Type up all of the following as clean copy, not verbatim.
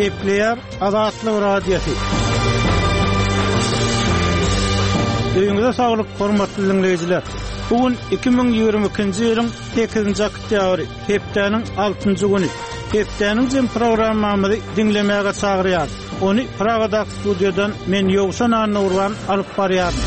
Gepleýär Azatlyk Radiosy. Öýüňize saglyk, hormatly diňleýjiler! Bu gün 2022-nji ýylyň 8-nji oktýabry, hepdäniň altynjy güni. Hepdäniň jem programmamyzy diňlemäge çagyrýarys. Ony Pragadaky studiýadan men Ýowşan Annagurban alyp barýaryn.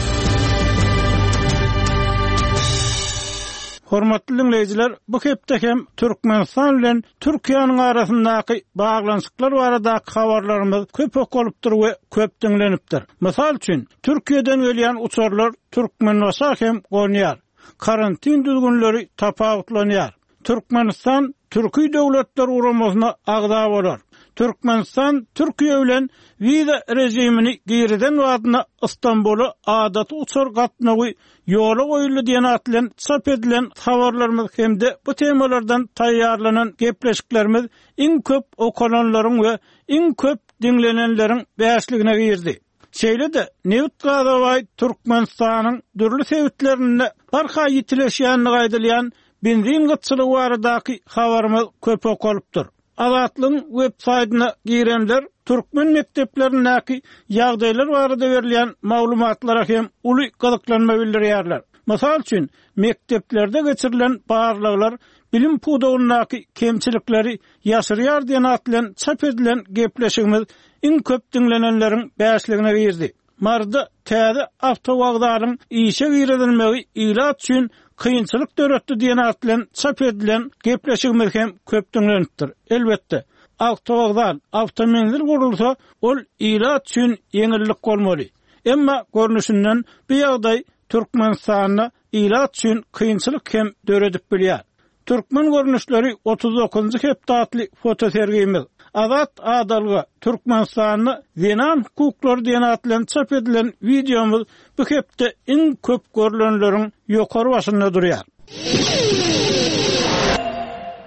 Hormatly diňleýjiler, bu hepde hem Türkmenistan bilen Türkiýäniň arasyndaky baglanyşyklar baradaky habarlarymyz köp okalypdyr we köp diňlenipdir. Mysal üçin, Türkiýeden gelýän uçarlar Türkmenbaşa hem gonýar. Karantin düzgünleri tapawutlanýar. Türkmenistan Türki Döwletler Guramasyna agza bolar. Türkmenistan Türkiýe bilen wiza režimini girizen badyna Stambula adaty uçar gatnawy ýola goýuldy diýen at bilen çap edilen habarlarymyz hem-de bu temalardan taýýarlanan gepleşiklerimiz iň köp okalanlaryň we iň köp diňlenenleriň bäşligine girdi. Şeýle-de, nebit-gaza baý Türkmenistanyň dürli sebitlerinde barha ýitileşýändigi aýdylýan benzin gytçylygy baradaky habarymyz köp okalypdyr. Azatlygyň web saýdyna girenler türkmen mekdeplerindäki ýagdaýlar barada berilýän maglumatlara hem uly gyzyklanma bildirýärler. Mysal üçin, mekdeplerde geçirilen barlaglar bilim pudagyndaky kemçilikleri ýaşyrýar diýen at bilen çap edilen gepleşigimiz iň köp diňlenenleriň bäşligine girdi. Maryda täze awtowokzalyň işe girizilmegi ilat üçin kynçylyk döretdi diýen at bilen çap edilen gepleşigimiz hem köp diňlenipdir. Elbetde, awtowokzal, awtomenzil gurulsa, ol ilat üçin ýeňillik bolmaly. Emma, görnüşinden, bu ýagdaý Türkmenistanda ilat üçin kynçylyk hem döredip bilýär. Türkmen görnüşleri 39-njy hepde atly fotosergimiz, Azat adalga, Türkmenistanda zenan hukuklary diýen at bilen çap edilen wideomyz bu hepde iň köp görlenleriň ýokary başynda durýar.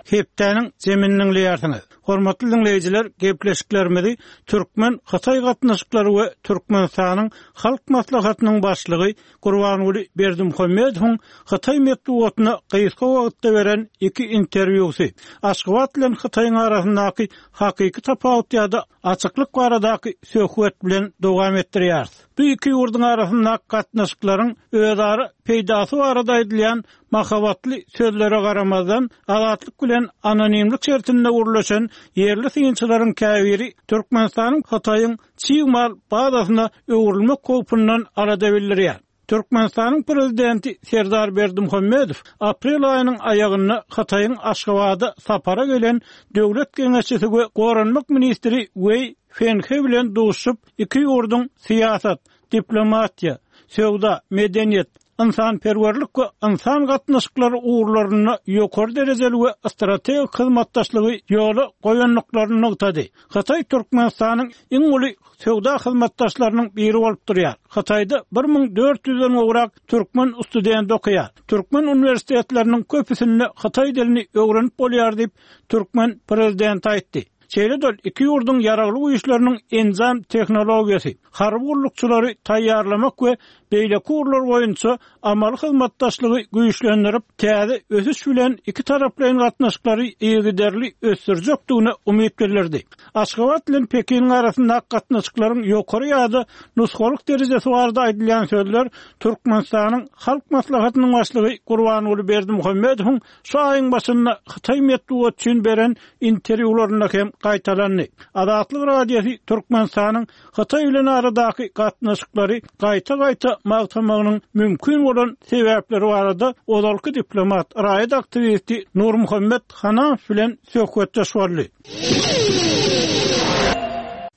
Hepdäniň jemini diňleýärsiňiz. Hormatly diňleýjiler, gepleşiklerimizi türkmen-hytaý gatnaşyklary we Türkmenistanyň Halk Maslahatynyň Başlygy Gurbanguly Berdimuhamedowyň hytaý metbugatyna gysga wagtda beren iki interwýusy, Aşgabat bilen Hytaýyň arasyndaky hakyky tapawut ýa-da açyklyk baradaky söhbet bilen dowam etdirýäris. Bu iki ýurduň arasyndaky gatnaşyklaryň özara peýdasy barada aýdylýan mahabatly sözlere garamazdan, Azatlyk bilen anonimlik şertinde gürleşen ýerli synçylaryň käbiri Türkmenistanyň Hytaýyň çig mal bazasyna öwrülmek howpundan alada bildirýär. Türkmenistanyň Prezidenti Serdar Berdimuhamedow aprel aýynyň aýagynda Hytaýyň Aşgabada sapara gelen döwlet geňeşçisi we goranmak ministri Weý Fenhe bilen duşuşyp, iki ýurduň syýasat, diplomatiýa, söwda, medeniýet, ynsanperwerlik we ynsan gatnaşyklary ugurlarynda ýokary derejeli we strategik hyzmatdaşlygy ýola goýandyklaryny nygtady. Hytaý Türkmenistanyň iň uly söwda hyzmatdaşlarynyň biri bolup durýar. Hytaýda 1400-den gowrak türkmen studenti okaýar. Türkmen uniwersitetleriniň köpüsinde hytaý dilini öwrenip bolýar diýip, türkmen prezidenti aýtdy. Şeýle-de ol iki ýurduň ýaragly güýçleriniň enjam tehnologiýasy, harby gullukçylary taýýarlamak we beýleki ugurlar boýunça amaly hyzmatdaşlygy güýçlendirip, täze ösüş bilen ikitaraplaýyn gatnaşyklary yzygiderli ösdürjekdigine umyt bildirdi. Aşgabat bilen Pekiniň arasyndaky gatnaşyklaryň ýokary ýa-da nusgalyk derejesi barada aýdylýan sözler Türkmenistanyň Halk Maslahatynyň Başlygy Gurbanguly Berdimuhamedowyň şu aýyň başynda hytaý metbugaty üçin beren interwýularynda hem gaýtalandy. Azatlyk Radiosy Türkmenistanyň Hytaý bilen aradaky gatnaşyklary gaýta-gaýta magtamagynyň mümkin bolan sebäpleri barada ozalky diplomat, raýat aktiwisti Nurmuhammet Hanamow bilen söhbetdeş boldy.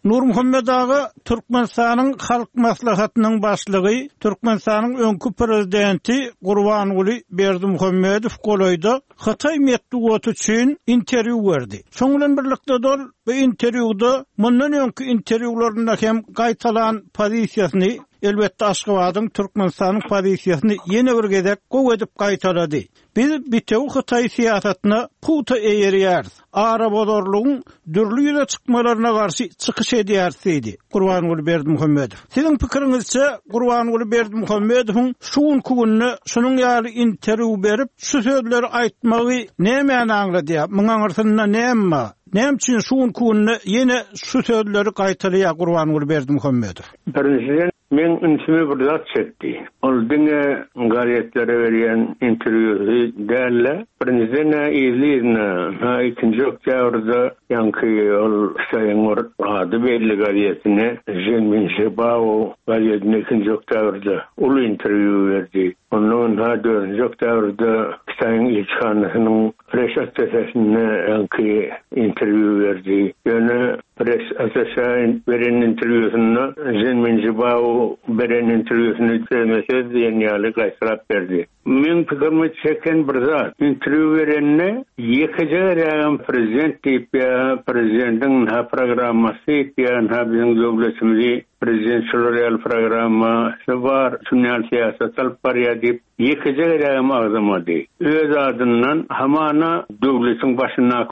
Nurmuhammet aga, Türkmenistanyň Halk Maslahatynyň Başlygy, Türkmenistanyň öňki Prezidenti Gurbanguly Berdimuhamedow golaýda hytaý metbugaty üçin interwýu berdi. Şoň bilen birlikde-de ol bu interwýuda mundan öňki interwýularynda hem gaýtalan pozisiýasyny, elbetde Aşgabadyň, Türkmenistanyň pozisiýasyny ýene bir gezek gowy edip gaýtalady. Biz bitewi hytaý syýasatyna pugta eýerýäris, arabozarlygyň dürli ýüze çykmalaryna garşy çykyş edýäris diýdi Gurbanguly Berdimuhamedow. Siziň pikiriňizçe, Gurbanguly Berdimuhamedowyň şu günki günde şunuň ýaly interwýu berip, şu sözleri aýtmagy nämäni aňladýar? Muň aňyrsynda näme bar? Näme üçin şu günki günde ýene şu sözleri gaýtalaýar Gurbanguly Berdimuhamedow? Birinjiden, meň ünsümi bir zat çekdi. Ol diňe gazetlere berýän interwýusy däl-de, birinjiden-ä yzly-yzyna, ha ikinji oktýabrda ýaňky ol Hytaýyň bir ady belli gazetine, Ženmin Žibao gazetine ikinji oktýabrda uly interwýu berdi. Ondan ynha dördünji oktýabrda Hytaýyň ilçihanasynyň Press attaşesine öňki interwýu berdi. Ýöne press attaşä beren interwýusynda Ženmin Žibao beren interwýusyny sözme-söz diýen ýaly gaýtalap berdi. Meň pikirimi çeken bir zat, interwýu berende ýekeje gezegem prezident diýip ýa prezidentiň ynha programmasy diýip ýa ynha biziň döwletimizi prezident şular ýaly programmasy bar, şuny ýaly syýasat alyp barýar diýip Ýekeje gezegem agzamady. Öz adyndan hamana döwletiň başyndaky.